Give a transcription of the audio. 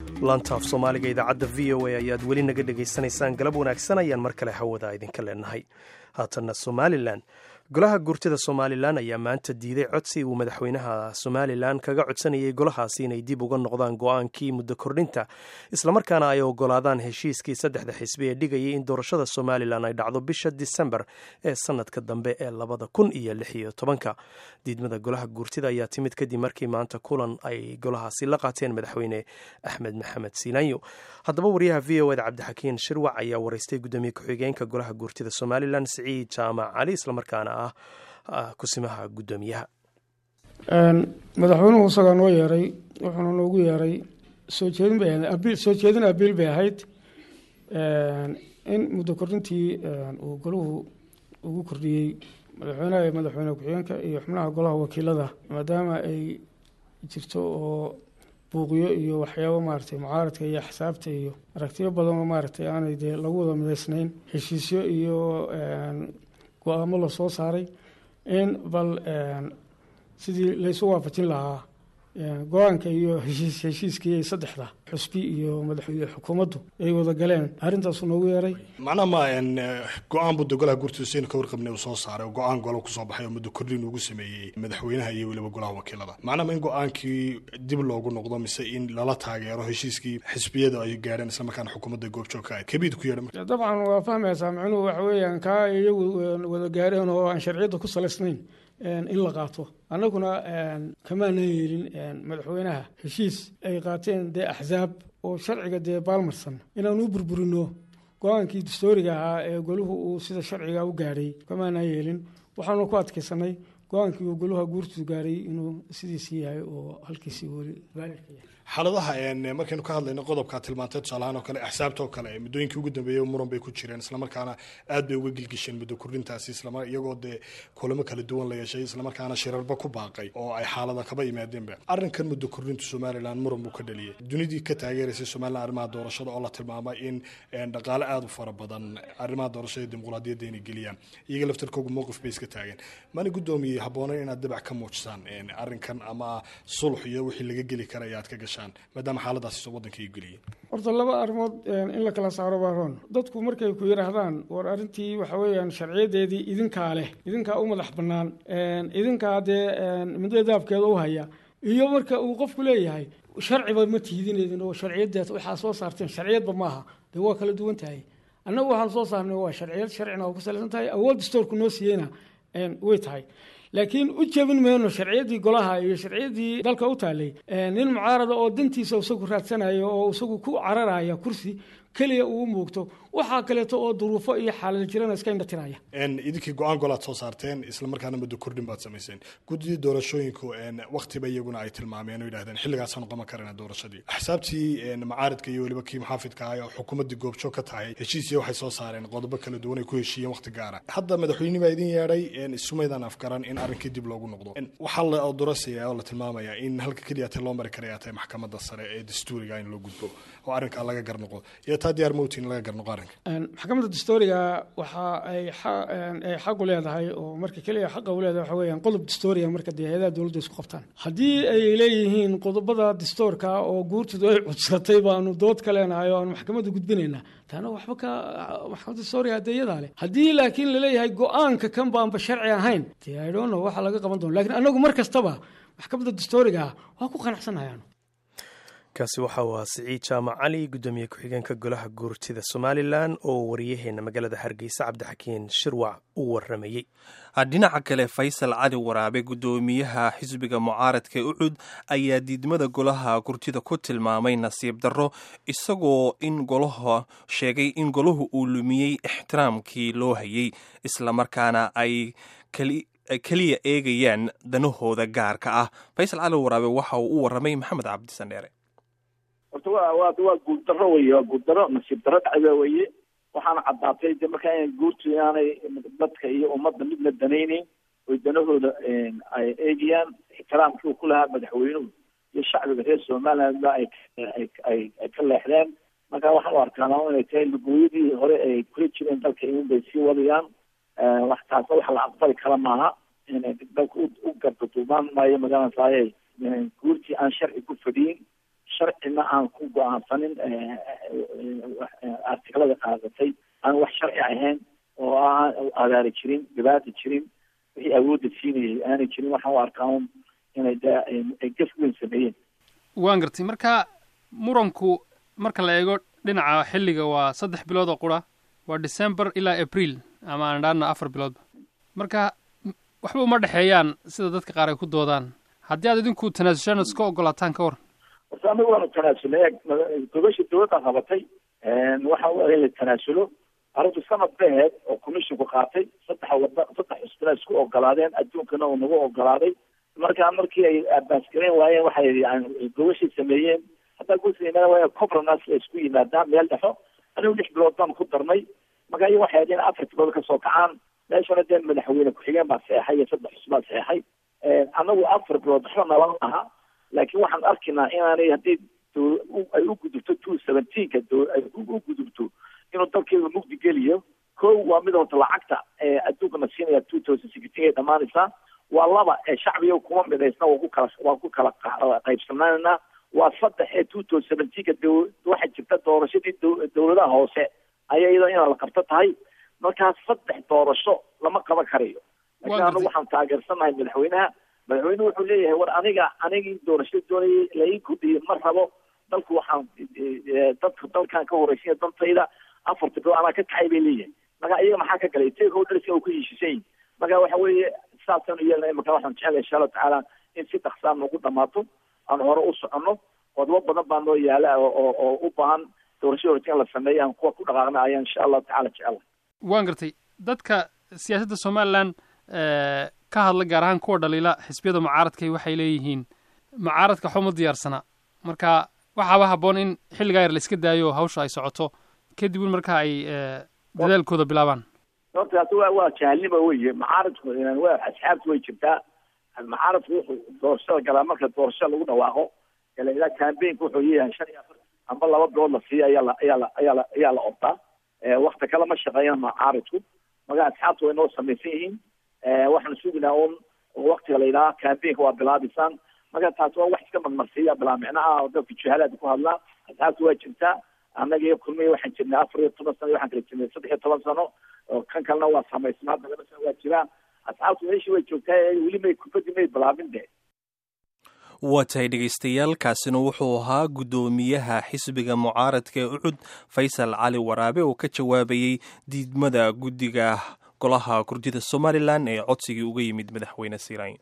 Laantaaf Soomaaliga idaacadda VOA ayaad weli naga dhegaysanaysaan. Galab wanaagsan ayaan mar kale hawada idinka leenahay. Haatanna Somalilan. Golaha Guurtida Somalilan ayaa maanta diiday codsi uu madaxweynaha Somalilan kaga codsanayay golahaasi inay dib uga noqdaan go-aankii muddo kordhinta, islamarkaana ay ogolaadaan heshiiskii saddexda xisbi ee dhigayay in doorashada Somalilan ay dhacdo bisha Disembar ee sanadka dambe ee 2016-ka. Diidmada golaha guurtida ayaa timid kadib markii maanta kulan ay golahaasi la qaateen madaxweyne Axmed Maxamed Siilaanyo. Haddaba, wariyaha VOA da Cabdixakiin Shirwac ayaa waraystay gudoomiye ku-xigeenka golaha guurtida Somalilan, Siciid Jaamac Cali, islamarkaana ah kusimaha guddoomiyaha. Madaxweynuhu isagaa noo yeeray, wuxuuna noogu yeeray soo jeedin bay ahayd, abiil, soo jeedin abiil bay ahayd in muddo kordhintii uu golahu ugu kordhiyey madaxweynaha iyo madaxweyne ku-xigeenka iyo xubnaha golaha wakiilada, maadaama ay jirto oo buuqyo iyo waxyaabo maaragtay mucaaradka iyo axsaabta iyo aragtiyo badan oo maaragtay aanay dee lagu wada midaysnayn, heshiisyo iyo go-aamo la soo saaray, in bal sidii laysu waafajin lahaa go-aanka iyo heshiiskii ay saddexda xusbi iyo madax iyo xukuumaddu ay wada galeen. Arrintaasu noogu yeeray. Macnaha ma go-aan buu de golaha guurtida saynu ka warqabnay uu soo saaray oo go-aan golo kusoo baxay oo muddo kordhin ugu sameeyey madaxweynaha iyo weliba golaha wakiilada. Macnaha ma in go-aankii dib loogu noqdo mise in lala taageero heshiiskii xisbiyada ay gaadheen, islamarkaana xukuumadda goobjoog ka ahayd kabiid ku yeedha? Dabcan waa fahmaysaa. Macnuhu waxa weeyaan kaa iyagu wada gaareen oo aan sharciyadda ku salaysnayn in la qaato. Annaguna kamaanan yeelin madaxweynaha heshiis ay qaateen dee axsaab oo sharciga dee baalmarsan inaanu u burburino go-aankii dastooriga ahaa ee goluhu uu sida sharciga u gaadhay. Kamaanaan yeelin. Waxaanu ku adkaysanay go-aankii uu goluha guurtu gaaray inuu sidiisii yahay oo halkiisii weli valid-ka yahay. Xaaladaha markaynu ka hadlayno qodobkaa tilmaantay, tusaalahaan oo kale axsaabta oo kale muddooyinkii ugu dambeeyey muran bay ku jireen, islamarkaana aad bay uga gilgisheen muddo kordhintaasi, islamar iyagoo dee kulamo kala duwan la yeeshay, islamarkaana shirarba ku baaqay oo ay xaalada kaba yimaadeenba. Arrinkan muddo kordhintu Somalilan muran buu ka dhaliyey. Dunidii ka taageeraysay Somalilan arrimaha doorashada oo la tilmaamay in dhaqaale aada u fara badan arrimaha doorashada iyo dimuqraadiyadda inay geliyaan, iyaga laftarkoogu mowqif bay iska taageen. Mana, guddoomiye, habboonayn inaad dabac ka muujisaan arrinkan ama sulx iyo wixii laga geli kara ayaad ka gashaan, maadaama xaaladaasi soo waddanka ay geliyeen? Horta laba arrimood in la kala saaro baa roon. Dadku markay ku yidhaahdaan, "War, arrintii waxa weeyaan sharciyadeedii idinkaa leh, idinkaa u madax bannaan, idinkaa dee midda daabkeeda u haya," iyo marka uu qofku leeyahay, "Sharciba ma tiidinedin oo sharciyadeed waxaa soo saarteen sharciyadba maaha," dee waa kala duwan tahay. Annagu waxaan soo saarnay waa sharciyad, sharcina waa ku salaysan tahay, awood dastoorku noo siiyeyna way tahay, laakiin u jebin mayno sharciyaddii golaha iyo sharciyaddii dalka u taalay nin mucaarada oo dantiisa isagu raadsanayo oo isagu ku cararaya kursi keliya uu muugto, waxaa kaleeto oo duruufo iyo xaalad jirana iska indhatiraya. Idinkii go-aan golaad soo saarteen, islamarkaana muddo kordhin baad samayseen. Guddidii doorashooyinku waktiba iyaguna ay tilmaameen oo yidhahdeen xilligaasaanu qaban karana doorashadii. Axsaabtii macaaridka iyo weliba kii muxaafidka ahay oo xukuumaddii goobjoog ka tahay heshiisiya waxay soo saareen qodobo kala duwan ay ku heshiiyeen waqti gaara. Hadda madaxweyne baa idin yeedhay, isumaydaan afgaran in arrinkii dib loogu noqdo. Waxaa la doorasaya oo la tilmaamayaa in halka keliya ta loo mari karaya tahay maxkamadda sare ee dastuuriga in loo gudbo oo arrinkaa laga garnoqo. Iyo taa diyaar mowtin in laga garnoqo arrinka? Maxkamadda dastuuriga waxa ay xaq u leedahay oo marka keliya xaqa u leedahay waxa weeyaan qodob dastuuriga marka dee hay-adaha dowladda isku qabtaan. Haddii ay leeyihiin qodobada dastuurka oo guurtidu ay cudsatay baanu dood ka leenahay oo aanu maxkamadda gudbinaynaa, taana waxba ka maxkamadda dastuuriga dee iyadaa leh. Haddii laakiin laleeyahay go-aanka kan baanba sharci ahayn, dee I don't know waxa laga qaban doono, lakiin annagu mar kastaba maxkamadda dastuuriga ah waa ku qanacsanayaanu. Kaasi waxa uu ahaa Siciid Jaamac Cali, guddoomiye ku-xigeenka golaha guurtida Somalilan, oo wariyaheena magaalada Hargeysa Cabdixakiin Shirwac u waramayey. Dhinaca kale, Faysal Cali Waraabe, guddoomiyaha xisbiga mucaaradka UCID, ayaa diidmada golaha gurtida ku tilmaamay nasiib darro, isagoo in golaha sheegay in golahu uu lumiyey ixtiraamkii loo hayay, islamarkaana ay keliya eegayaan danahooda gaarka ah. Faysal Cali Waraabe waxa uu u waramay Maxamed Cabdisandheere. Horta waa guuldarro weye, waa guuldarro, nasiib darro dhacda weye. Waxaana caddaatay de markaa in guurtu inaanay dadka iyo ummadda midna danayneyn oy danahooda ay eegayaan. Ixtiraamkii uu ku lahaa madaxweynuhu iyo shacbiga reer Somaliland ba ay ka leexdeen. Marka waxaan u arkaanaa inay tahay lugooyadii hore ay kula jireen dalka in bay sii wadayaan. Wax taasna wax la aqbali kara maaha. Dalka u gardaduumaan maayo magaranaysaye guurtii aan sharci ku fadhiyin. Sharcina aan ku go-aansanin, artiklada qaadatay aan wax sharci ahayn oo aan abaari jirin, dhibaata jirin, wixii awoodda siinayay aanay jirin. Waxaan u arkaa un inay de ay gaf weyn sameeyeen. Waan gartay. Marka muranku marka la eego dhinaca xilliga waa 3 bilood oo qura, waa December ilaa April, ama aan idhaahno 4 biloodba. Marka waxba uma dhexeeyaan sida dadka qaar ay ku doodaan. Haddii aad idinku tanaasushaan, iska ogolaataan, ka waran? Horta anagu waanu tanaasulnay. Gobasha dowladda qabatay waxa u in la tanaasulo. Arrintu sanad ba ahayd oo commissionku qaatay. Saddex wada, saddex xusbina isku ogolaadeen, adduunkana uu nagu ogolaaday. Marka markii ay abaasgareyn waayeen, waxay gobashay sameeyeen. Haddaa gosa imaan waaya, compromise la isku yimaadaan meel dhexo. Anigu 6 bilood baan ku darnay. Marka iyaga waxay ahayd in 4 bilood kasoo kacaan meeshana. Dee madaxweyne ku-xigeen baa saxeexay iyo saddex xusbaa saxeexay. Anagu 4 bilood waxba nala aha, laakiin waxaan arkaynaa inaanay, haddii ay u gudubto 217-ka, ay u gudubto, inuu dalkeedu mugdi geliyo. Ko waa mid horta lacagta adduunka na siinaya 2016 ay dhamaanaysaa. Waa laba, ee shacbiga kuma midaysna, waa ku kala qaybsanaanayna. Waa saddex, ee 2017-ka waxaa jirta doorashadii dowladaha hoose ayaa iyadoo inaan la qabto tahay. Markaas saddex doorasho lama qaban karayo. Laakiin anagu waxaan taageersanahay madaxweynaha. Madaxweynuhu wuxuu leeyahay, war aniga anigii doorashada doonayay la ii kordhiyey ma rabo. Dalku waxaan dadka dalkan ka horeysinya dantayda, 4-ta bilood anaa ka kacay bay leeyahay. Marka iyaga maxaa ka galay? Stakeholders oo ku heshiisan yihin. Marka waxa weeye saasaan u yeelnay. Marka waxaan jecelahay, insha Allahu tacaala, in si dhaqsaa nagu dhamaato, aan hore u soconno. Qodobo badan baa noo yaala oo u baahan doorashada horta in la sameeyo, aan kuwa ku dhaqaaqna ayaan insha Allahu tacala jecelahay. Waan gartay. Dadka siyaasadda Somaliland ka hadla, gaar ahaan kuwa dhaliila xisbiyada mucaaradkay, waxay leeyihiin mucaaradka waxba ma diyaarsana. Marka waxaaba habboon in xilligaa yar la iska daayo, hawsha ay socoto, kadibun marka ay dadaalkooda bilaabaan. Horta taasi waa jahalnimo weye. Mucaaradku waa asxaabtu way jirtaa. Mucaaradku wuxuu doorashada galaa marka doorashada lagu dhawaaqo ilaa campaignka wuxuu yeeyahay 45 amba 2 bilood la siiya ayaa la ordaa. Wakti kale ma shaqeeyaan mucaaradku. Marka asxaabtu way noo samaysan yihiin. Waxaan suginaa un waktiga la yidhaha campaignka waa bilaabisan. Marka taasi waa wax iska marmarsiiya bilaa micno ah oo dadka juhalaada ku hadlaa. Asxaabtu waa jirtaa. Annaga iyo Kulmiya waxaan jirnay 14 sano, waxaan kala jirnay 13 sano, oo kan kalena waa samaysnaa hadda 2 sano waa jiraa. Asxaabtu meeshii way joogtaa, weli may kubaddi may bilaabin de. Waa tahay dhegaystayaal, kaasina wuxuu ahaa guddoomiyaha xisbiga mucaaradka ee UCID, Faysal Cali Waraabe, oo ka jawaabayey diidmada guddiga golaha gurdida Somaliland ee codsigii uga yimid madaxweyne Siirayn.